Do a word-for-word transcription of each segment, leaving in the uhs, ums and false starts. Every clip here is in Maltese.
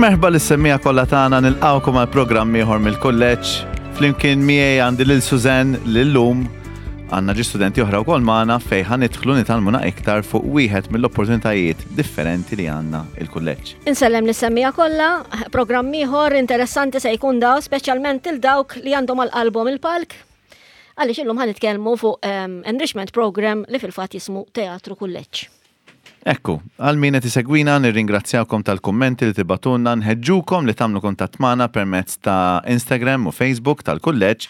Merħba lis-semmiegħa kollha tagħna, nilqgħukom għal programm ieħor mill-kulleġġ. Flimkien miegħi għandi lil Suzanne lil-lum għandna ġi studenti oħra wkoll magħna fejn ħa nidħlu nitgħallmuna iktar fuq wieħed mill-opportunitajiet differenti li għandna il-kulleġġ. Insellem lis-semmiegħa kollha, programm ieħor interessanti se jkun daw, speċjalment il dawk li għandhom għal qalbhom il-palk. Għaliex illum ħa nitkellmu fuq um, enrichment program li fil-fatt jismu Teatru Kulleġġ. Ekku, għal min qed isegwina, nirringrazzjawkom tal-kummenti li tibagħtulna, nħeġġukom li tagħmlu kuntatt magħna permezz ta' Instagram u Facebook tal-kulleġġ,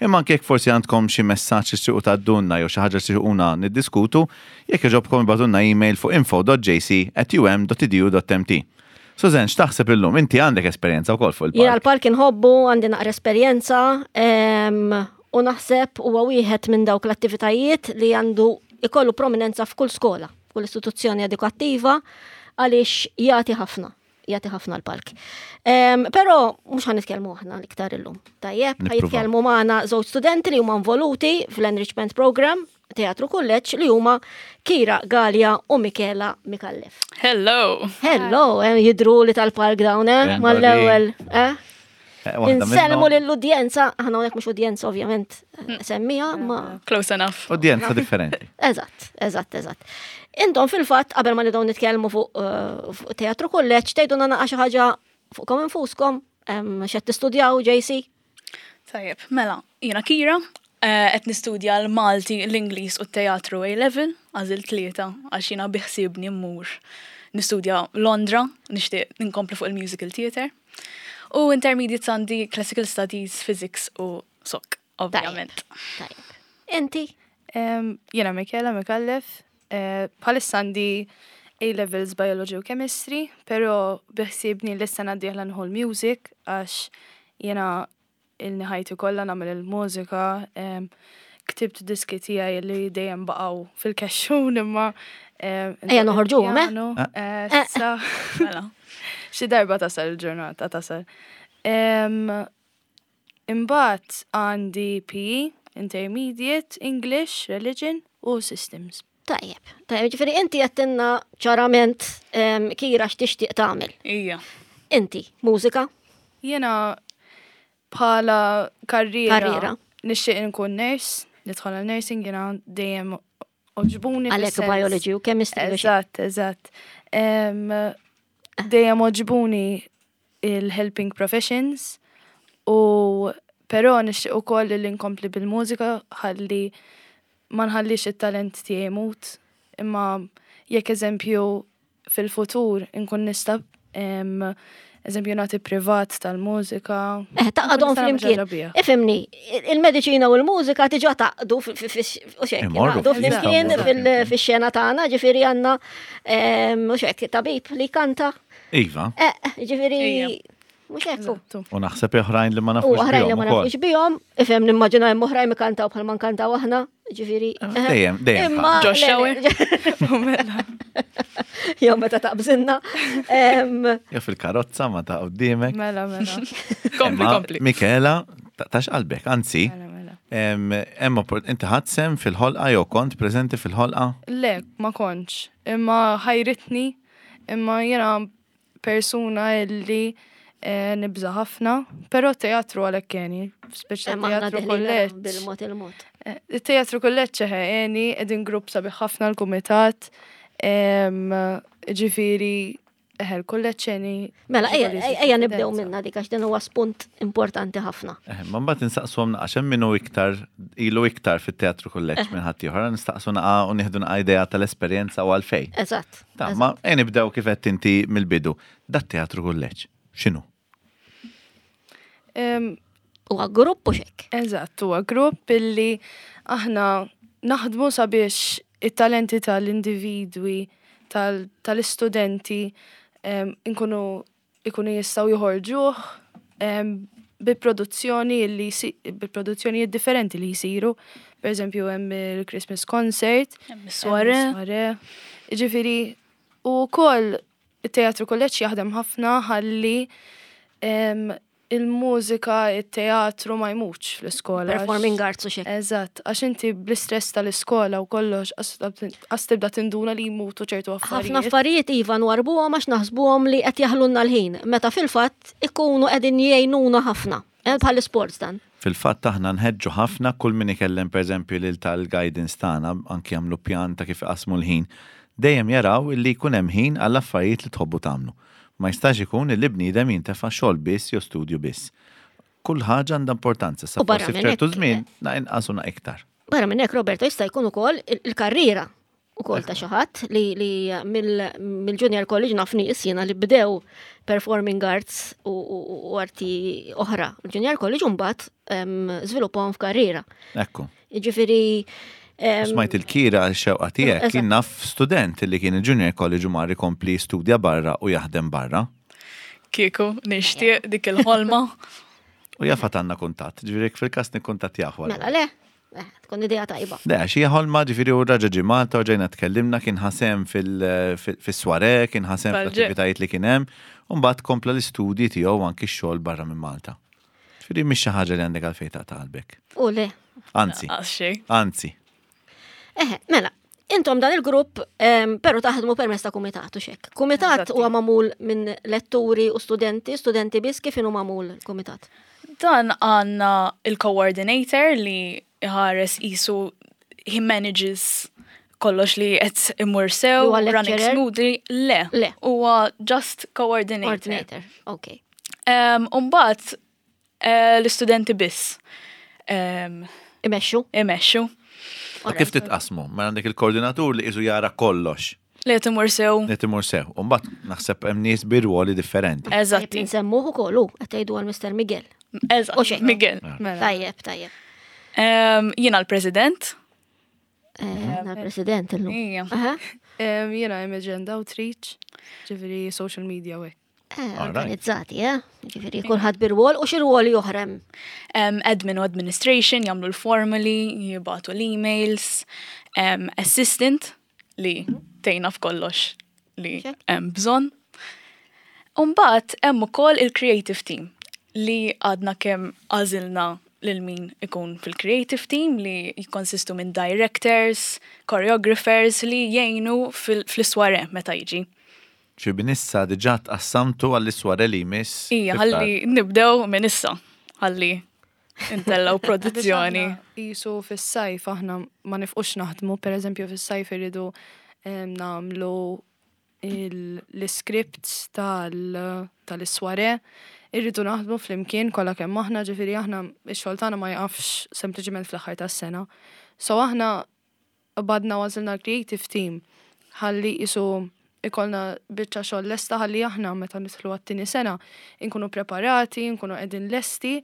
imma anke jekk forsi għandkom xi messaġġ li tixtiequ tgħaddulna jew xi ħaġa li tixtiequna niddiskutu, jekk jogħġobkom ibagħtulna email fuq info dot J C at U M dot edu dot M T. Susan, x'taħseb illum? Inti għandek esperjenza wkoll fuq Jiena il-palk. l-palk inħobbu, għandi naqra esperjenza em, u naħseb huwa wieħed minn dawk l-attivitajiet li għandu ikollu prominenza f'kull skola, f'kull istituzzjoni edukattiva, għaliex jagħti ħafna, jagħti ħafna l-palk. Um, Però mhux ħa nitkellmu aħna l-iktar illum. Tajjeb, ħa Nippruvaw. jitkellmu magħna żewġ studenti li huma involuti fl-Enrichment Program Teatru Kulleġġ, li huma Kira Galea u Michela Micallef. Hello! Hello, eh, jidru li tal-palk dawn, eh? Eh, Mal-ewwel, eh? Eh, waħda Insellmu minnhom- lill-udjenza, aħna hawnhekk mhux udjenza ovvjament, eh, semmija, ma Close enough. Udjenza differenti. Eżatt, eżatt, eżatt. Intom fil-fatt, qabel ma nibdew nitkellmu fuq eh, fuq Teatru Kulleġġ, tgħidulna naqa xi ħaġa fuqkom infuskom, em, x'qed tistudjaw, J C? Tajjeb, mela, jiena Kira, eh, qed nistudja l-Malti, l-Ingliż u t-teatru A-level, għażilt tlieta, għax jiena biħsiebni mmur nistudja Londra, nixtieq ninkompli fuq il-musical theatre. U intermediate għandi classical studies, physics u S O C, ovvjament. Tajjeb. Inti? Em, Jiena Michela Micallef, eh, bħalissa għandi A-levels Biology u Chemistry, pero biħsiebni l-sena d-dieħla nieħu l-music, għax jiena ili ħajti kollha nagħmel il-mużika, em, ktibt diski tiegħi li dejjem baqgħu fil-kexxun imma em, Ejja noħorġuhom, eh? piano, eh, Eh. sa- Mela. Xi darba tasal il-ġurnata tasal. Em, Imbagħad għandi P E, Intermediate, English, Religion u Systems. Tajjeb, tajjeb, ġifieri inti għedtilna ċarament em, Kira, x'tixtieq tagħmel. Ija. Inti, mużika? Jiena bħala karriera, Karriera. Nixtieq nkun nurse, nidħol għal nursing, jiena dejjem għoġbuni Għalhekk fis-sens- biology u chemistry u xi. Eżatt, eżatt. Em, Dejjem għoġbuni il-helping professions u però nixtieq ukoll li nkompli bil-mużika ħalli ma nħallix it-talent tiegħi jmut, imma jekk eżempju fil-futur inkun nista' em, eżempju nagħti privat tal-mużika. Eh, tgħaqqadhom Nkun nista' nagħmel flimkien. ħaġa biha. Ifhimni, il-mediċina u l-mużika diġà tgħaqqdu u xek, Imorru tgħaqqdu flimkien jistgħu fil- fix-xena tagħna, ġifieri għandna em, u xek, tabib li kanta. Iva, Eh, ġifieri Ija. mhux hekk. Eżattu. u naħseb oħrajn li ma U nafux oħrajn li bihom ma ukoll. nafux bihom, ifhem, nimmaġina hemm oħrajn ikantaw bħal ma nkantaw aħna, ġifieri. eh, Dejjem, dejjem. Imma Josh le, Shower. le, jew meta taqbżinna. Em, Jew fil-karozza ma ta' qudiemek. Mela, mela. Kompli, Imma, kompli. Michela, ta- tax qalbek, anzi, Mela, mela. em, hemm oppor- inti ħadt sehem fil-ħolqa jew kont preżenti fil-ħolqa? Le, ma kontx. Imma ħajritni, imma jiena persuna illi eh, nibża ħafna, pero teatru għalhekk għeni, speċa Imma aħna teatru deħlin kulleġġ. bil-mod il-mod. Eh, Il-teatru kulleġġ eħe għeni, qegħdin grupp sabiħ ħafna l-kumitat, em, ġifieri, eħe, l-kulleġġ għeni. Mela, ejja ġifieri ejja nibdew konfidenza. minna dik għax din huwa spunt importanti ħafna. Eh, ma mbagħad insaqsuhom naqa' x'hemm minnu iktar ilu iktar fit-teatru kulleġġ minn ħadd ieħor, nistaqsu naqa' u nieħdu naqa' idea tal-esperjenza u għalfejn. Eżatt. Ta' ma ejja nibdew kif qed inti mill-bidu. Dat teatru kulleġġ, x'inhu? Em, Huwa grupp u xek. Eżatt, huwa grupp illi aħna naħdmu sabiex it-talenti tal-individwi, tal- tal-istudenti em, inkunu ikunu jistgħu joħorġuh em, bi produzzjoni li si- bi produzzjonijiet differenti li jisiru. Per eżempju, hemm il-Christmas concert, Hemm is-soirée. hemm is-soirée. Ġifieri, u wkoll it-teatru kulleġġ jaħdem ħafna ħalli em, il-mużika, il-teatru ma jmutx fl-iskola. għax- Performing arts u xek. Eżatt, għax inti bl-istress tal-iskola u kollox, għas tibda tinduna li jmutu ċertu Ħafna affarijiet. affarijiet iva nwarbuhom għax naħsbuhom li qed jaħlunna l-ħin, meta fil-fatt ikunu qegħdin jgħinuna ħafna. Eh, Bħal sports dan. Fil-fatt aħna nħeġġu ħafna kull min ikellem pereżempju lil tal-guidance tagħna anki jagħmlu pjan ta' kif iqasmu l-ħin. Dejjem jaraw illi jkun hemm ħin għall affarijiet li tħobbu tagħmlu. Ma jistax ikun illi bniedem jintefa' xogħol biss jew studju biss. Kull ħaġa għandha importanza, sa U barra forsi minn f'ċertu hekk, żmien na inqas u na iktar. Barra minn hekk Roberto jista' jkun ukoll il- il-karriera ukoll ta' xi ħadd li, li mill- mill-Junior College naf nies jiena li bdew performing arts u, u, u arti oħra. Il-Junior College mbagħad em, żviluppahom f'karriera. Ekku. Jiġifieri em, Smajt il-Kira x-xewqa tiegħek Eżatt. kien naf student li kien il-Junior College u mar ikompli studja barra u jaħdem barra. Kieku, nixtieq dik il-ħolma. U jaf għandna kuntatt, ġifieri fil-każ nikkuntattjah wara. Mela le, eh, tkun idea tajba. Le, għax hija ħolma ġifieri u raġa ġie Malta u ġejna tkellimna kien ħa sehem fil-soirée, kien ħa sehem Tal-ġe. fl-attivitajiet li kien hemm, u mbagħad kompla l-istudji tiegħu anki x-xogħol barra minn Malta. Ġifieri mhix xi ħaġa li għandek għalfejn ta' qalbek. U le. Anzi, Għax xejn. anzi. Eħe, mela, intom dan il-grupp, em, pero taħdmu permezz ta' kumitat u xek. Kumitat Eżatti. huwa magħmul minn letturi u studenti, studenti biss kif inhu magħmul il-kumitat? Dan għandna il-coordinator li iħares isu he manages kollox li qed imur sew, Huwa running lecturer? smoothly. Le, Le. huwa just coordinator. Coordinator, ok. Um, Umbagħad eh, l-istudenti biss um, Imexxu. imexxu U kif titqasmu? Ma għandek il-koordinatur li isu jara kollox li qed imur sew. li timur sew. U mbagħad naħseb hemm nies bi rwoli differenti. Eżatti. Nsemmuh ukoll hu qed tgħidu għal Mr. Miguel. U Eżatt. xejn. Miguel. Mela. Tajjeb, tajjeb. Um, Jiena l-president. Eh, Jiena l-president illum. Ija. Aha. Em, Jiena Imogen Outreach, ġifieri social media u hekk. Eh, Alright. Organizzati, eh? Ġifieri kulħadd bir-rwol u xi rwoli oħra hemm. Um, admin u administration, jagħmlu l-formuli, jibagħtu l-emails, um, assistant li tgħinna f'kollox li Check. hemm bżonn. Umbagħad hemm ukoll il-creative team li għadna kemm għażilna lil min ikun fil-creative team li jikkonsistu minn directors, choreographers li jgħinu fil- fl-soirée meta jiġi. Ġi minn issa diġà tqassamtu għall-soirée li jmiss. Ija, fi frar. ħalli nibdew minn issa, ħalli intellaw produzzjoni. Biex aħna Jisu fis-sajf aħna ma nifqux naħdmu, per eżempju fis-sajf irridu em, nagħmlu il- l-scripts tal- tal-soirée, irridu naħdmu flimkien kollha kemm aħna, ġifieri aħna x-xogħol tagħna ma jaqafx sempliċement fl-aħħar tas-sena. So aħna badna għażilna l-creative team ħalli jisu ikollna biċċa xogħol lesta ħalli aħna meta nidħlu għat-tieni sena nkunu preparati, nkunu qegħdin lesti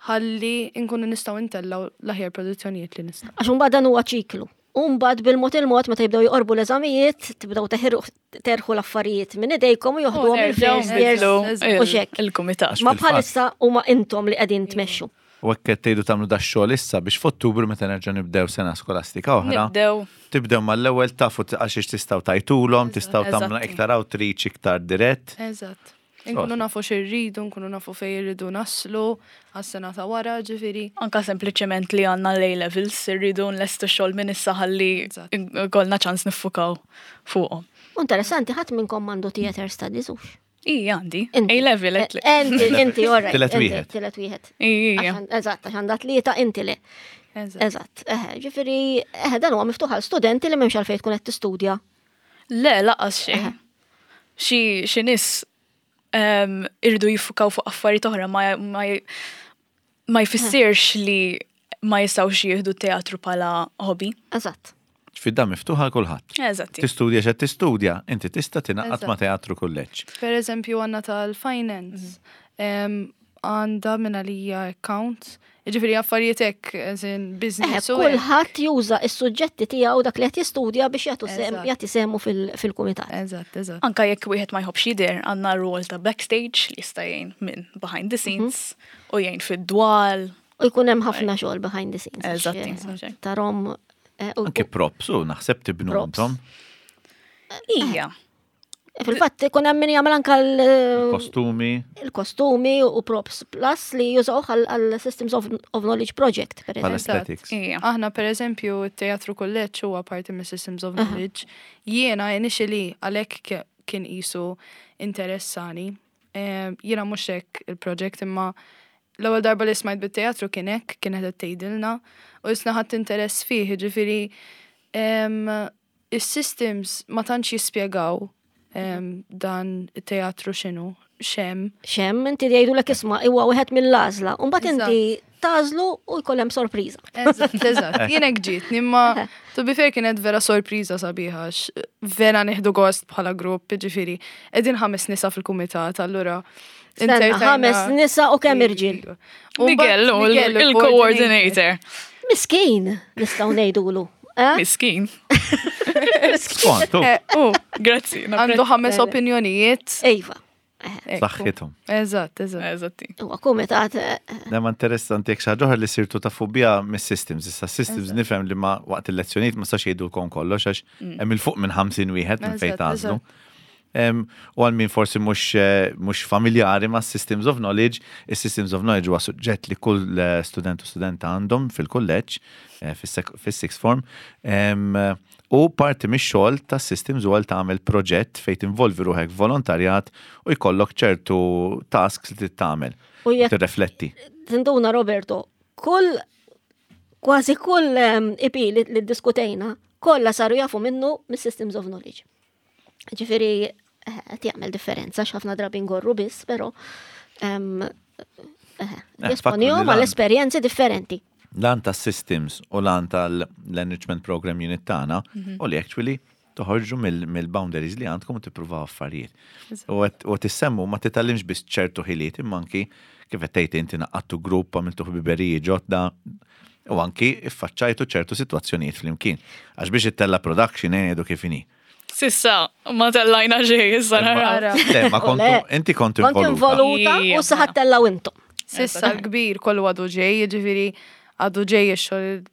ħalli nkunu nistgħu ntellaw l-aħjar produzzjonijiet li nistgħu. Għax imbagħad dan huwa ċiklu. U mbagħad bil-mod il-mod meta jibdew joqorbu l-eżamijiet, tibdew teħirqu- terħu l-affarijiet minn idejkom u joħduhom il-first years u xek. Il-kumitat. Ma Fil-fatt. bħalissa huma intom li qegħdin tmexxu. U hekk qed tgħidu tagħmlu da xogħol issa biex f'Ottubru meta nerġa' nibdew sena skolastika oħra. Nibdew. Tibdew mal-ewwel tafu għal xiex tistgħu tgħajtulhom, tistgħu tagħmlu Eżatti. iktar outreach, iktar dirett. Eżatt. Nkunu nafu x'irridu, nkunu nafu fejn irridu naslu għas-sena ta' wara, ġifieri. Anka sempliċement li għandna l-A-levels, irridu nlestu xogħol minn issa ħalli Eżatt. ikollna ċans niffukaw fuqhom. U Interessanti, ħadd minnkom m'għandu theater studies hux. Ija għandi. Inti. A-level, għetli. Eh, Inti, inti, all right. Tielet inti, wieħed. Tielet wieħed. Ija. Għax- Eżatt, għax għandha tlieta inti le. Eżatt. Eżatt, eħe, ġifieri, eħe, dan huwa miftuħ għal studenti li m'hemmx għalfejn tkun qed tistudja. Le, lanqas xejn. Xi xi nies em, irridu jiffukaw fuq affarijiet oħra ma ma ma jfissirx li ma jistgħux jieħdu teatru bħala hobby. Eżatt. Fidda miftuħa għal kulħadd. Eżatti. Tistudja x'qed tistudja, inti tista' tingħaqad ma' Eżatt. teatru kulleġġ. Per eżempju għandna tal-finance, em, għandha minn għalija account, ġifieri affarijiet hekk, as in Eħe, business u hekk. kulħadd juża is-suġġetti tiegħu dak li qed jistudja biex jagħtu sem, Eżatt. jagħti semu fil- fil-kumitat. Eżatt, eżatt. Anka jekk wieħed ma jħobbx jidher, għandna rol ta' backstage li jista' jgħin minn behind the scenes u jgħin fid-dwal. U jkun hemm ħafna xogħol behind the scenes. għax, Eżatti. eh, Tarahom eh, u- Anke props u naħseb tibnu Props. intom. Ija. Fil-fatt ikun hemm min jagħmel anke l- Kostumi. il-kostumi u props plus li jużawh għal Systems of, of Knowledge Project, per eżempju. Pal-aesthetics. Ija. Aħna per eżempju, il-teatru kulleġġ huwa parti mis Systems of Knowledge. Jiena initially għalhekk ke- kien qisu interessani. Eh, Jiena mhux hekk il-project imma l-ewwel darba li smajt bit-teatru kien hekk, kienet qed tgħidilna u isna ħadd interess fih, jiġifieri em, is-systems ma tantx jispjegaw em, dan it-teatru x'inhu, x'hemm. X'hemm, inti jgħidulek isma' huwa wieħed mill-għażla. U mbagħad inti tagħżlu u jkun hemm sorpriża. Eżatt, eżatt. Jien hekk ġietni, imma to be fair kienet vera sorpriża sabiħa, għax vera nieħdu gost bħala grupp, ġifieri, qegħdin ħames nisa fil-kumitat, allura. Stenna, inzertajna- ħames nisa u kemm irġiel. U mbagħad Miguel, u Miguel, il-coordinator. Miskin, nistgħu ngħidulu. Eh? Miskin. Skont, u, Eh, u, Grazzi. għandu ħames opinjonijiet. Iva. Ekku. Saħħithom. Eżatt, eżatt. Eżatti. Huwa kumitat eh, Nemma interessanti jekk xi ħaġa oħra li sirtu tafu biha mis-systems. Issa systems nifhem li ma waqt il-lezzjonijiet ma sax jgħidulkom kollox għax hemm il fuq minn ħamsin wieħed minn fejn Eżatt, tagħżlu. Em, U għal min forsi mhux eh, mhux familjari ma' Systems of Knowledge, is-Systems of Knowledge huwa suġġett li kull eh, student u studenta għandhom fil-kulleġġ, eh, fis-sek- fis-sixth form. Em, U parti mix-xogħol ta' systems huwa li tagħmel proġett fejn tinvolvi ruħek volontarjat u jkollok ċertu tasks li trid tagħmel. U jekk Tirrefletti. tinduna Roberto, kull kważi kull em, I P li, li diskutejna, kollha saru jafu minnu mis-Systems of Knowledge. Ġifieri, eh, qed jagħmel differenza x'ħafna drabi ngorru biss, però em, eh, Eh, jesponihom fakru li għal lan- esperjenzi differenti. L-għan ta' systems u l-għan tal-enrichment program unit tagħna u li actually toħorġu mill- mill-boundaries li għandkom u tippruvaw affarijiet. U għet- U tissemmu ma titgħallimx biss ċertu ħiliet imma anki kif qed tgħid inti għaqqadtu grupp, għamiltu ħbiberiji ġodda u anki iffaċċajtu ċertu sitwazzjonijiet flimkien. Għax biex ittella production ngħidu kif inhi. S'issa, ma tellajna xejn, issa naraw. Ara. Le, ma kontu, Le. inti kontu Kont involuta. involuta u Ija. saħat tellaw intom. S'issa l-kbir kollu għadu ġej, ġifieri għadu ġej ix-xogħol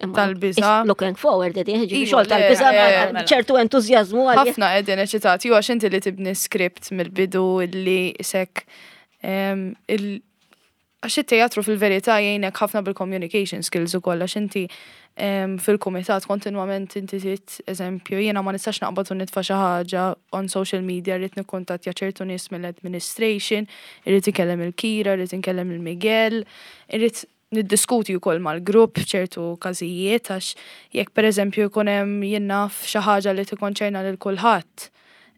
Imma Tal-biża'. Looking forward, qegħdin, ġifieri Iva, xogħol le, tal-biża' eh, ma- ċertu entużjażmu għalih. ħafna qegħdin eċitati, u għax inti li tibni script mill-bidu illi isek em, il għax it-teatru fil-verità jgħinek ħafna bil-communication skills ukoll għax inti em, fil-kumitat kontinwament inti tit eżempju jiena ma nistax naqbad u nitfa' xi ħaġa on social media, rrid nikkuntattja ċertu nies mill-administration, irrid inkellem il-Kira, irrid inkellem il-Miguel, irrid niddiskuti wkoll mal-grupp f'ċertu każijiet għax jekk pereżempju jkun hemm jien naf xi ħaġa li tikkonċerna lil kulħadd,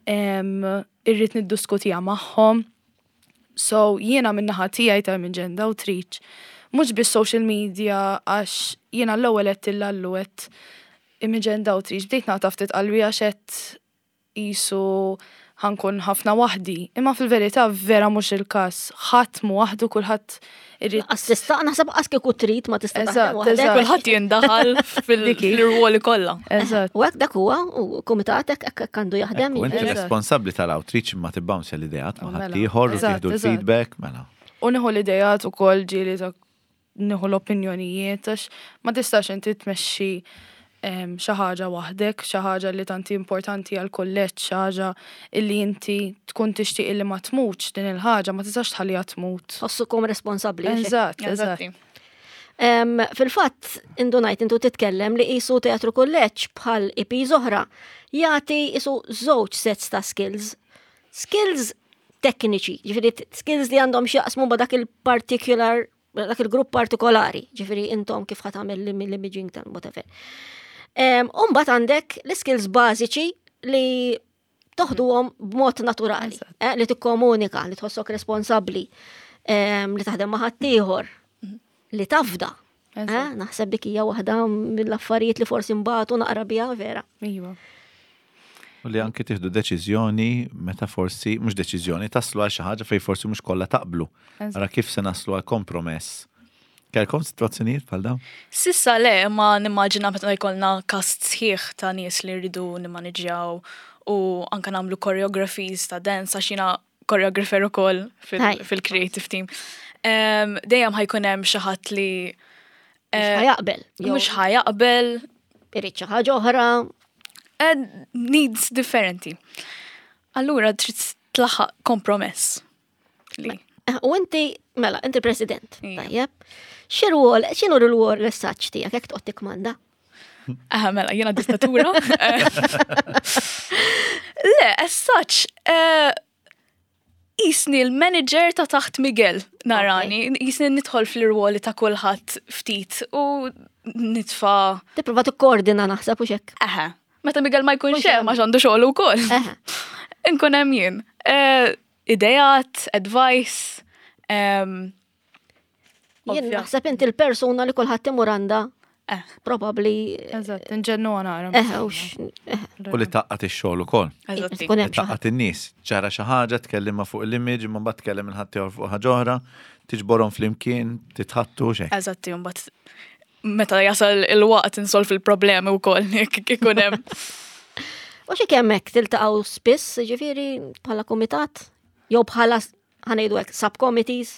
em, irrid niddiskutiha magħhom. So jiena min-naħa tiegħi ta' minn Agenda Outreach, mhux biss social media għax jiena l-ewwel qed tillallu qed Agenda Outreach bdejt naqta' ftit qalbi għax qed qisu ħa nkun ħafna waħdi. Imma fil-verità vera mhux il-każ. Ħadd mu waħdu, kulħadd irid Assista, naħseb qas kieku trid ma tista' taħdem Eżatt, waħdek. eżatt. Kulħadd jindaħal fil-rwoli kollha. Eżatt. U hekk dak huwa, u kumitat hekk hekk għandu jaħdem. U inti Eżatt. responsabbli tal-outreach imma tibbounce l-ideat ma' Mela. ħaddieħor u Eżatt, tieħdu eżatt. l-feedback, mela. U nieħu l-idejat ukoll ġieli ta' nieħu l-opinjonijiet għax ma tistax inti tmexxi em, xi ħaġa waħdek, xi ħaġa li tanti importanti għal kulleġġ, xi ħaġa illi inti tkun tixtieq illi ma tmutx din il-ħaġa, ma tistax tħalliha tmut. Tħossukom responsabbli. hekk. Eżatt, eżatt. Eżatti. Em, Fil-fatt, indunajt intu titkellem li qisu teatru kulleġġ bħal I P oħra jagħti qisu żewġ sets ta' skills. Skills tekniċi, ġifieri t- skills li għandhom x'jaqsmu ma' dak il-particular dak il-grupp partikolari, ġifieri intom kif ħa tagħmel l-imaging tal whatever. Em, U mbagħad għandek l-skills bażiċi li toħduhom b'mod naturali, Eżatt. eh, li tikkomunika, li tħossok responsabbli, em, li taħdem ma' ħaddieħor, li tafda. Eh, Eżatt. Naħseb dik hija waħda mill-affarijiet li forsi mbagħad naqra biha vera. Iva. U li anki tieħdu deċiżjoni meta forsi, mhux deċiżjoni, taslu għal xi ħaġa fejn forsi mhux kollha taqblu. Eżatt. Ara kif se naslu għal kompromess. Kellkom sitwazzjonijiet bħal dawn? S'issa le, ma nimmaġina meta jkollna cast sħiħ ta' nies li rridu nimmaniġjaw u anka nagħmlu choreographies ta' dance għax jiena choreographer ukoll fil- Hi. fil-creative team. Em, Dejjem ħa jkun hemm xi ħadd li Mhux eh, ħa jaqbel. jew mhux ħa jaqbel, irid xi ħaġa oħra. eh, needs differenti. Allura trid tlaħħaq kompromess. Li. Eh, U inti, mela, inti president, Ija. tajjeb. X'irwol, x'inhu r-rwol l-essaċ tiegħek jekk toqgħod tikkmanda? Aha, mela, jiena dittatura. Le, as such, eh, jisni l-manager ta' taħt Miguel, narani, jisni nidħol fl-irwoli ta' kulħadd ftit u nitfa. Tipprova tikkoordina naħseb u xek. Aha, meta Miguel ma jkunx Mhux hemm. hemm għax għandu xogħol ukoll. Eħe. Inkun hemm jien. Eh, Idejat, advice, em, Jien Ovvja. naħseb inti l-persuna li kulħadd imur għandha eh, probabbli Eżatt, nġennu nara. eħe u x- eħe. U li taqqat ix-xogħol ukoll. eżatti. Tkun Li hemm xi ħadd. taqqat in-nies. Ġara xi ħaġa, tkellimha fuq l-image, imma mbagħad tkellem il-ħadd ieħor fuq ħaġa oħra, tiġborhom flimkien, titħattu xejn. Eżatti, mbagħad meta jasal il-waqt insolvi il-problemi wkoll jekk ikun hemm. U xi kemm hekk tiltaqgħu spiss, ġifieri bħala kumitat jew bħala ħa ngħidu hekk subcommittees.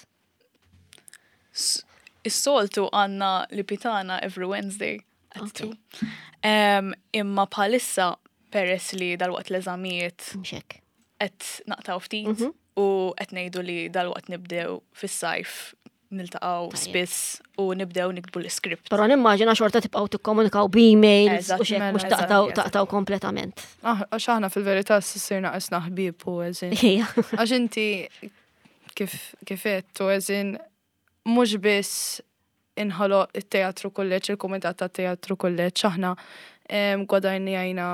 S- Is-soltu għandna li pitana every Wednesday at Okay. two. Em, imma bħalissa peress li dal-waqt l-eżamijiet Mhux hekk. qed naqtaw ftit Mhm. u qed ngħidu li dal-waqt nibdew fis-sajf niltaqgħu Tajjeb. spiss u nibdew niktbu l-iskript. Però nimmaġina xorta tibqgħu tikkomunikaw b'emails Eżatt, u xek mela, mhux eżatt, taqtaw eżatt. taqtaw kompletament. Ah, Għax aħna fil-verità s-sirna qisna ħbieb u eżin. Ija. Għax inti kif kif għedt u eżin mhux biss inħoloq it-teatru kulleġġ, il-kumitat ta' teatru kulleġġ, aħna em, gwadanjajna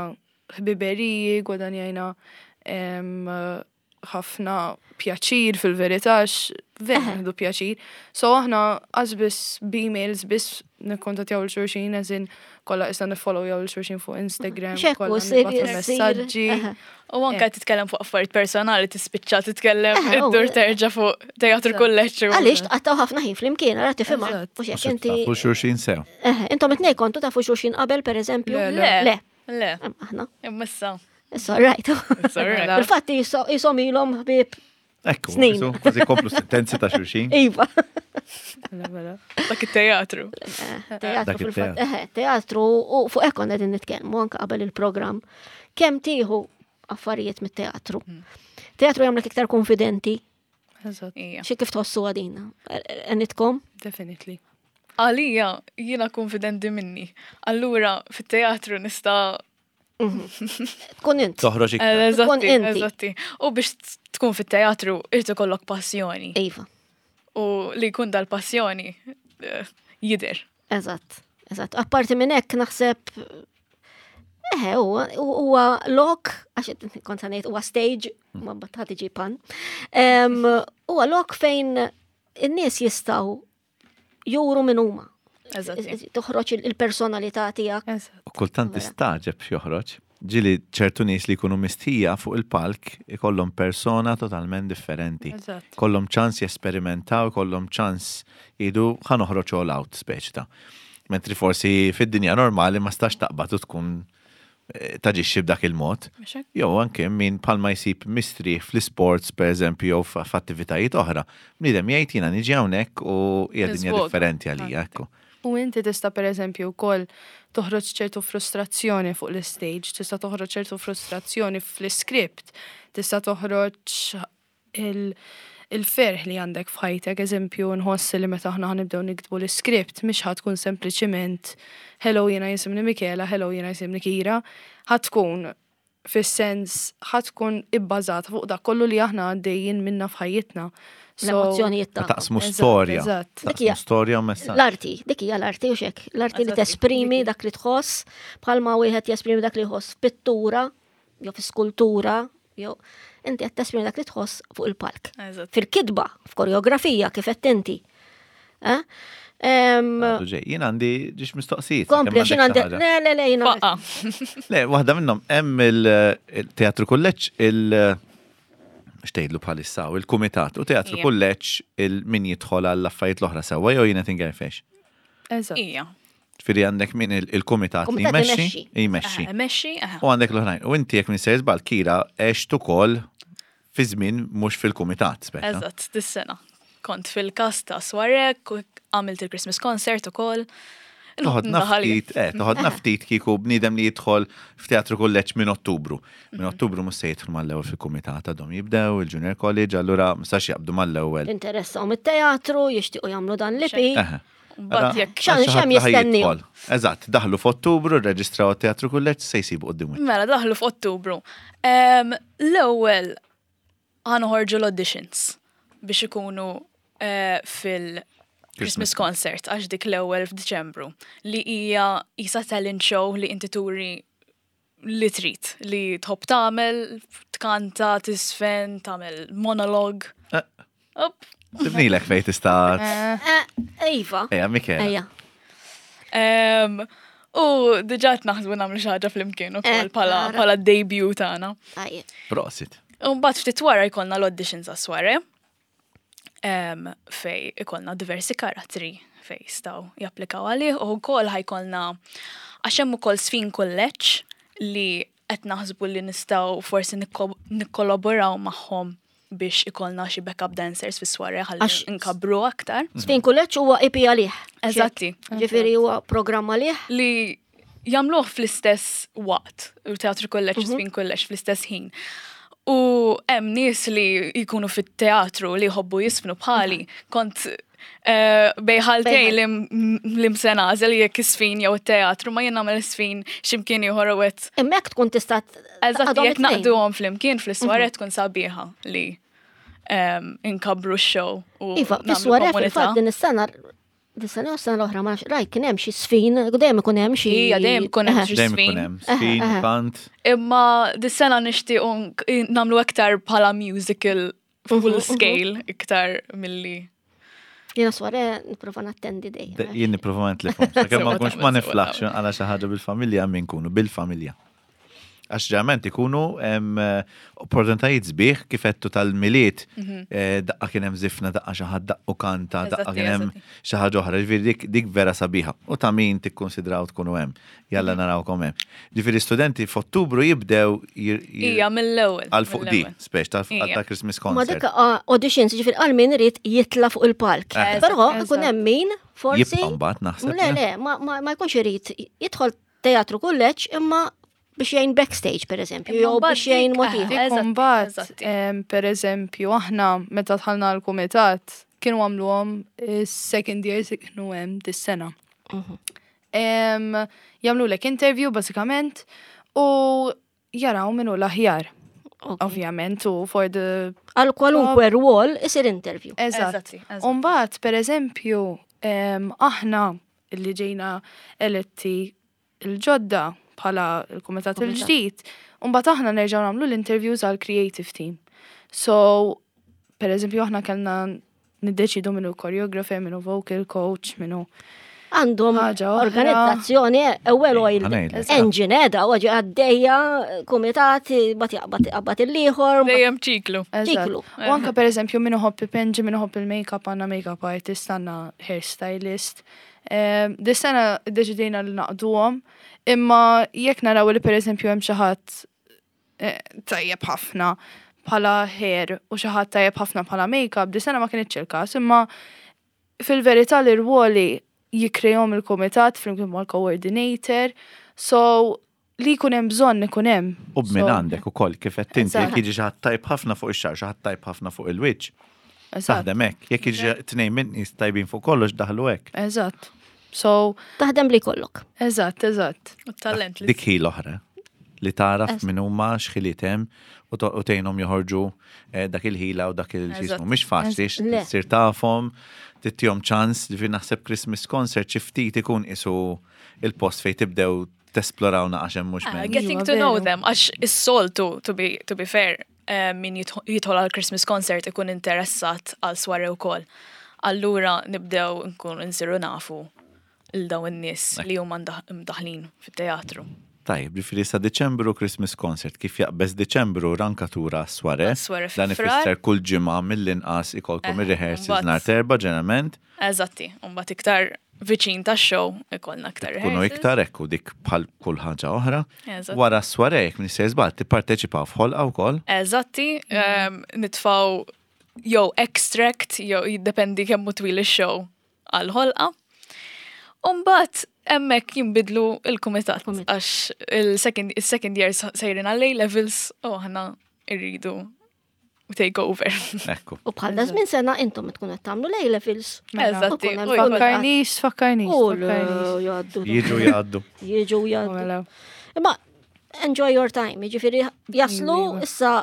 ħbiberiji, gwadanjajna em, ħafna pjaċir fil-verità, għax vera nieħdu pjaċir. So aħna għax biss b'emails biss nikkontattjaw 'l xulxin, eżin kollha issa nifollowjaw 'l xulxin fuq Instagram, Xekku, kollha sir, nibagħtu sir. messaġġi. eħe. U anke titkellem fuq affarijiet personali tispiċċa titkellem Eh, u- iddur terġa' fuq teatru kulleġġ. u- Għaliex tqattaw ħafna ħin flimkien, ara tifhimha. Eżatt. Mhux hekk inti. Tafu xulxin sew. Eħe, intom it-tnejn kontu tafu xulxin qabel pereżempju? Le, Le. Le, Le, Em, aħna. imma issa. It's all right. It's all right. Fil-fatt jisom ilhom ħbieb. Ekku, Snin. isu, kważi komplu sentenzi ta' xulxin. Iva. Mela, mela. Dak it-teatru. Teatru Dak fil-fatt. il-teatru. Eħe, teatru u fuq hekk konna qegħdin nitkellmu anke qabel il-programm. Kemm tieħu affarijiet mit-teatru? Teatru jagħmlek iktar konfidenti, Eżatt, Ija. xi kif tħossu għadina. Għenitkom? definitely. Għalija, jiena konfidenti minni. Allura, fit-teatru nista' Tkun int. Toħroġ iktar. Eżatti, inti. eżatti. U biex tkun fit-teatru, irid ikollok passjoni. Iva, U li jkun dal-passjoni eh, jidher. eżatt. Eżatt. Apparti minn hekk naħseb Eħe, huwa huwa lok, għax kont ngħid huwa stage, ma mbagħad ħadd iġi pan. Em, Huwa lok fejn in-nies jistgħu juru min huma. Eżatti. Toħroġ il- il-personalità tiegħek. Eżatt. U kultant Vera. tistaġeb x'joħroġ. Ġili ċertu nies li jkunu mistija fuq il-palk ikollhom persona totalment differenti. Eżatt. Kollhom ċans jesperimentaw, kollhom ċans jgħidu ħa noħroġ all out speċi ta'. Mentri forsi fid-dinja normali ma stax taqbad u tkun eh, taġixxi b'dak il-mod. Mhux hekk? Jew anke min palma jsib mistri fl-sports per eżempju jew f- f'attivitajiet oħra. Bniedem jgħid jiena niġi hawnhekk u hija dinja Nisvoga. differenti għalija, ekku. U inti tista' per eżempju wkoll toħroġ ċertu frustrazzjoni fuq l-stage, tista' toħroġ ċertu frustrazzjoni fl-script, tista' toħroġ il- il-ferħ li għandek f'ħajtek, eżempju, nħoss li meta aħna ħanibdew niktbu l-script, mhix ħa tkun sempliċiment hello jiena jisimni Michela, hello jiena jisimni Kira, ħa tkun fis-sens ħa tkun ibbażata fuq dak kollu li aħna għaddejjin minna f'ħajjitna. So- L-emozzjonijiet tagħkom. Taqsmu Eżatt, storja. eżatt. Dik hija- Taqsmu storja u messaġġ. L-arti, dik hija l-arti u xek, l-arti li Eżatti, tesprimi dak li tħoss, bħalma wieħed jesprimi dak li jħoss f'pittura, jew fi skultura, jew inti qed tesprimi dak li tħoss fuq il-palk. Eżatt. Fil-kitba, f'koreografija, kif qed inti. Eh? Em, Għadu ġej, Jien għandi ġiex mistoqsijiet. Kompli, kemm xin għandek għandi. xi ħaġa. Le, le, le, jina. Faqa. Le, waħda minnhom hemm il-teatru kulleġġ il- xtejdlu bħalissa u il-kumitat u teatru Ija. kulleġġ il-min jidħol għall affarijiet l-oħra sewwa jew jiena tingerfex. Eżatt. Ija. Ġifieri għandek min il- il-kumitat li Kumitat jmexxi, imexxi. jmexxi. Eh, Mexxi, eh. U għandek l-oħrajn. U inti jekk minn sejr żball Kira għext ukoll fi żmien mhux fil-kumitat speċa. Eżatt, dis-sena. Kont fil-kast ta' Swarek, u għamilt il-Christmas concert ukoll. Toħodna Ndaħal jien. ftit, eh, toħodna ftit kieku bniedem li jidħol f'teatru kulleġġ minn Ottubru. Minn Ottubru mhux se jidħol mal-ewwel fil-kumitat għadhom jibdew il-Junior College, allura mhux jaqbdu mal-ewwel. Interessahom it-teatru, jixtiequ jagħmlu dan l-E P. Eħe. Mbagħad jekk Xan- Għal xi xem ħadd li ħaj jistennew? jidħol. Eżatt, daħlu f'Ottubru, rreġistraw teatru kulleġġ se jsibu quddiem wiċċ. Mela, daħlu f'Ottubru. Em, L-ewwel ħa noħorġu l-auditions biex ikunu eh, fil-Christmas concert, għax dik l-ewwel f'Diċembru, li hija isa talent show li inti turi li trid, li tħobb tagħmel, tkanta, tiżfen, tagħmel monolog. Eh. Up. Tibnilek fejn tista' Eh, Iva. Ejja, Michela. Ejja. Em, U diġà qed naħsbu nagħmlu xi ħaġa flimkien ukoll Eh, bħala ara. bħala debut tagħna. Tajjeb. Prosit. U mbagħad ftit wara jkollna l-auditions għas-soirée. Um, fej ikollna diversi karattri fej jistgħu japplikaw għalih u wkoll ħa jkollna, għax hemm ukoll Sfin Kulleġġ li qed naħsbu li nistgħu forsi nikko- nikkollaboraw magħhom biex ikollna xi backup dancers fis-soirée ħalli Għax- nkabru aktar. Sfin Kulleġġ huwa E P għalih. Eżatti. Ġifieri huwa programm għalih. Li jagħmluh fl-istess waqt, u teatru kulleġġ u Sfin Kulleġġ fl-istess ħin. U hemm nies li jkunu fit-teatru li jħobbu jiżfnu bħali, kont eh, bejn ħaltejn li m- li mse nagħżel jekk iż-żfin jew it-teatru, ma jien nagħmel iż-żfin x'imkien ieħor u qed Hemmhekk tkun tista' Eżatt, taqgħodhom jekk it-tnejn. naqduhom flimkien fl-soirée tkun sabiħa li em, inkabru x-show u Iva, nagħmlu fis-soirée komunità. fil-fatt din is-sena din is-sena u s-sena l-oħra ma nafx, rajt kien hemm xi żfin, dejjem ikun hemm xi. Ija, dejjem ikun hemm xi Dejjem żfin. ikun hemm żfin, Eħe, eħe. kant. Imma dis-sena nixtiequ nk- nagħmlu aktar bħala musical full scale iktar milli. Jiena soirée nipprova nattendi dejjem. Jien nipprova ma nitlifhom. Sakemm ma Sewa nkunx ma tagħmel, sewa niflaħx tagħmel. għala xi ħaġa bil-familja min kunu bil-familja. Għax ġeneralment ikunu em, eh, opportunitajiet sbieħ kif għedtu tal-Milied, eh, daqqa kien hemm żifna, daqqa xi ħadd daqqu kanta, daqqa Eżatti, kien hemm eżatti. xi ħaġa oħra. Ġifieri dik, dik vera sabiħa. U ta' min tikkonsidraw tkunu hemm. Jalla narawkom hemm. Ġifieri studenti f'Ottubru jibdew jir- jir- Ija, mill-ewwel. għal fuq di, mill-ewwel. speċ tal Ija. ta' Christmas Ma concert. dik ah, auditions, ġifieri għal min irid jitla fuq il-palk. Eh. Però Eżatt. ikun hemm min forsi. Jibqa' mbagħad naħseb. Le, le, ma, ma, ma jkunx irid jidħol teatru kulleġġ imma biex jgħin backstage, per eżempju, Imma jew mbagħad biex jgħin dik- motiv. eh, Dik Eżatti, mbagħad, eżatti. em, per eżempju, aħna meta dħalna l-kumitat kienu għamluhom is-second years li kienu hemm dis-sena. Em, Jagħmlu lek interview bażikament u jaraw minnu l-aħjar. Ok. Ovvjament, u for the Għal kwalunkwe rwol isir interview. Eżatt. Eżatti, eżatti. Umbagħad, per eżempju, em, aħna li ġejna eletti il-ġodda bħala il-kumitat Kumitat. il-ġdid, umbagħad aħna nerġgħu nagħmlu l-interviews għal creative team. So, per eżempju, aħna kellna niddeċidu minnu choreographer, minnu vocal coach, minnu Għandhom Ħaġa oħra. organizzazzjoni, a well-oiled Ħa ngħidlek. engine edha, u għaddejja, kumitat, bat jaqbad jaqbad il-ieħor. Dejjem ċiklu. Eżatt. Ċiklu. U anka per eżempju minnu ħobb ipinġi, minnu ħobb il-makeup, għandna makeup artist, għandna hairstylist. Um, Dis-sena deċidejna li naqduhom, imma jekk naraw li per eżempju hemm xi ħadd eh, tajjeb ħafna bħala hair u xi ħadd tajjeb ħafna bħala makeup, dis-sena ma kienx il-każ, imma fil-verità l-irwoli jikkrejahom il-komitat flimkien mal-coordinator, so li jkun hemm bżonn ikun hemm. U b'min So, għandek ukoll kif qed inti Eżatt. jekk jiġi xi ħadd tajb ħafna fuq ix-xagħar, xi ħadd tajb ħafna fuq il-wiċċ. Eżatt. Taħdem hekk. Jekk jiġi tnejn minn nies tajbin fuq kollox daħlu hekk. Eżatt. So, Taħdem li kollok. eżatt, eżatt. U talent li Dik hi l-oħra li taraf min huma x'ħiliet hemm u to- u tgħinhom joħorġu eh, dak il-ħila u dak il-xismu. Eżatt. Mhix faċli Le. tsir tafhom, tittihom ċans, ġifieri naħseb Christmas concert xi ftit ikun isu il-post fejn tibdew tesploraw naqax hemm mhux Ah, men. Getting Iva, to know veru. them, għax is-soltu, to be, to be fair, eh, min jidħol jidħol għal Christmas concert ikun interessat għal soirée wkoll. Allura nibdew nkunu nsiru nafu il dawn in-nies li huma mdaħ- mdaħlin fit-teatru. Tajjeb, ġifieri sa Deċembru Christmas concert, kif jaqbeż Deċembru rankatura soirée. Soirée fi Dan Frar. ifisser kull ġimgħa mill-inqas ikolkom Eh, ir-rehearsals mbagħad- nhar t'Erbgħa ġeneralment. Eżatti, mbagħad iktar viċin tax-show ikollna iktar Tkunu rehearsals. iktar ekku dik bħal kull ħaġa oħra. Eżatt. Wara s-soirée, jekk m'iniex żball, tipparteċipaw f'ħolqa wkoll. Eżatti, um, nitfaw jew extract, jew jiddependi kemm hu twil ix-show għal-ħolqa. Umbagħad hemmhekk jinbidlu il-kumitat Kumitat. għax il-second il-second year sejrin għal levels u aħna irridu take over. Ekku. U bħal da żmien sena intom tkun qed tagħmlu l-A-levels. Eżatti. U kun hemm u jkollna- Fakkarnix, fakkarnix, U fakkarnix. jgħaddu. Jiġu jgħaddu. Jiġu jgħaddu. Mela. Imma enjoy your time, jiġifieri jaslu Iva. issa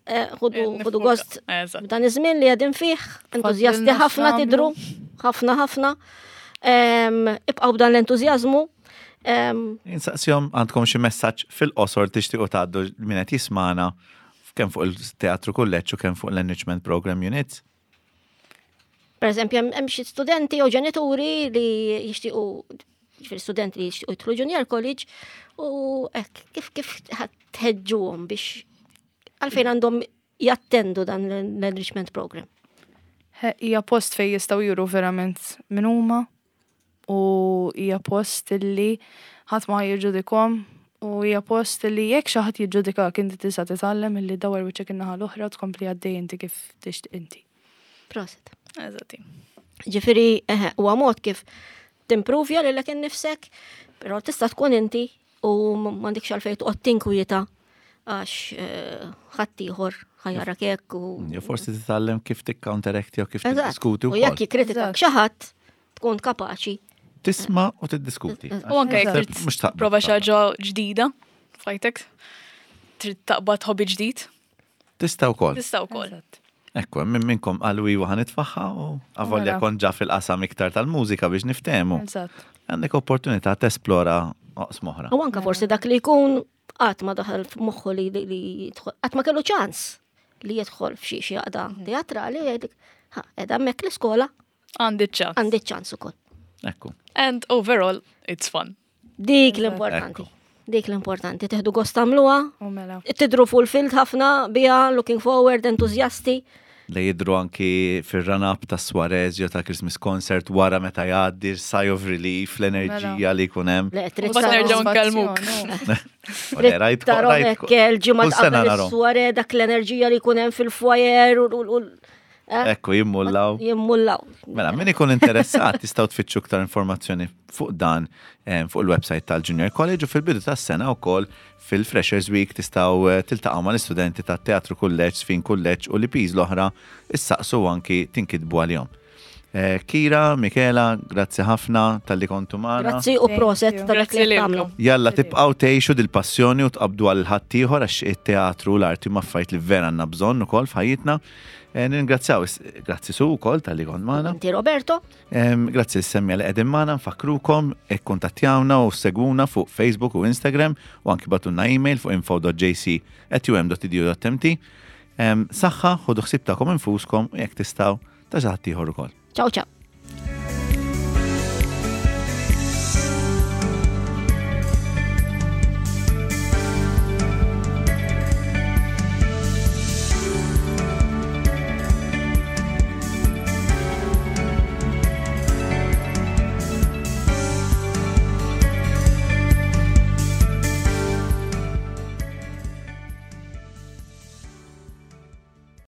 eh, ħudu ħudu gost Eżatt. b'dan iż-żmien li qegħdin fih, entużjasti Fadlilna ħafna x'nagħmlu. tidru, ħafna ħafna. Em, Ibqgħu b'dan l-entużjażmu. Em, Insaqsihom għandkom xi messaġġ fil-qosor tixtiequ tgħaddu min qed jismana kemm fuq il-Teatru Kulleġġ u kemm fuq l-Enrichment Program Units. Per eżempju, hemm hemm xi studenti jew ġenituri li jixtiequ ġifieri studenti li jixtiequ jidħlu junior college u hekk kif kif tħeġġuhom biex għalfejn għandhom jattendu dan l-enrichment program. He, Hija post fej jistgħu juru verament min huma u hija post illi ħadd ma jiġġudikhom u hija post illi jekk xi ħadd jiġġudikak inti tista' titgħallem illi dawar wiċċek in-naħa l-oħra u tkompli għaddej inti kif tixtieq inti. Prosit. Eżatti. Ġifieri, eħe, huwa mod kif timprovja lilek innifsek, però tista' tkun inti u m'għandekx għalfejn toqgħod tinkwieta għax eh, ħaddieħor ħa jarak hekk u Jew forsi titgħallem kif tikcounteracti jew kif Eżatt. tiddiskuti U jekk wkoll. jikkritikak Eżatt. xi ħadd tkun kapaċi. Tisma' u tiddiskuti. U anke jekk Mhux trid taqbel. prova xi ħaġa ġdida f'ħajtek, trid taqbad hobby ġdid, Tista' wkoll. tista' wkoll. Eżatt. Ekku, minn minnkom qalu iwa ħa nitfagħha u avolja Mela. kont ġa fil-qasam iktar tal-mużika biex niftehmu. Eżatt. Għandek opportunità tesplora oqsma oħra. U anka forsi dak li jkun qatt ma daħal f'moħħu li li li jidħol, qatt ma kellu ċans li jidħol f'xi xi għaqda teatrali u jgħidlek, ha, qiegħda hemmhekk l-iskola Għandi ċans. għandi ċans ukoll. Ekku. And overall, it's fun. Dik l-importanti. Dik l-importanti. Teħdu gost tagħmluha, U mela. tidru fulfilled ħafna biha, looking forward, entuzjasti. Li jidru anki fil-run-up ta' Suarez jew ta' Christmas concert wara meta jgħaddi sigh of relief, l-enerġija li jkun hemm. Le, trid Mbagħad nerġgħu nkellmuk. U le, rajt- Tarahom rajt- hekk il-ġimgħa kull sena qabel narahom. is-soirée dak l-enerġija li jkun hemm fil-foyer u u- u eh, Ekku, jimmullaw. jimmullaw. Mela, min ikun interessat tistgħu tfittxu iktar informazzjoni fuq dan eh, fuq il-website tal-Junior College u fil-bidu tas-sena wkoll fil-Freshers Week tistgħu eh, tiltaqgħu mal-istudenti tat-Teatru Kulleġġ, Żfin Kulleġġ u l-E Ps l-oħra issaqsu anki tinkitbu għalihom. Eh, Kira, Michela, grazzi ħafna talli kontu magħna. Grazzi u Thank proset you. ta' dak Grazzi li qed tagħmlu. lilkom. Jalla tibqgħu tgħixu dil-passjoni u tqabdu għal ħaddieħor għax it-teatru u l-arti huma affarijiet li vera għandna bżonn ukoll f'ħajjitna. Eh, Ningrazzjaw, grazzi su wkoll talli kont magħna. Inti Roberto, Em, Grazzi lis-semmiegħa li qegħdin magħna, nfakkrukom, ikkuntattjawna u segwuna fuq Facebook u Instagram u anki ibagħtulna email fuq info dot J C at U M dot edu dot M T. Em, Saħħa, ħudu ħsieb tagħkom infuskom u jekk tistgħu ta' xi ħadd ieħor ukoll. Ciao ciao.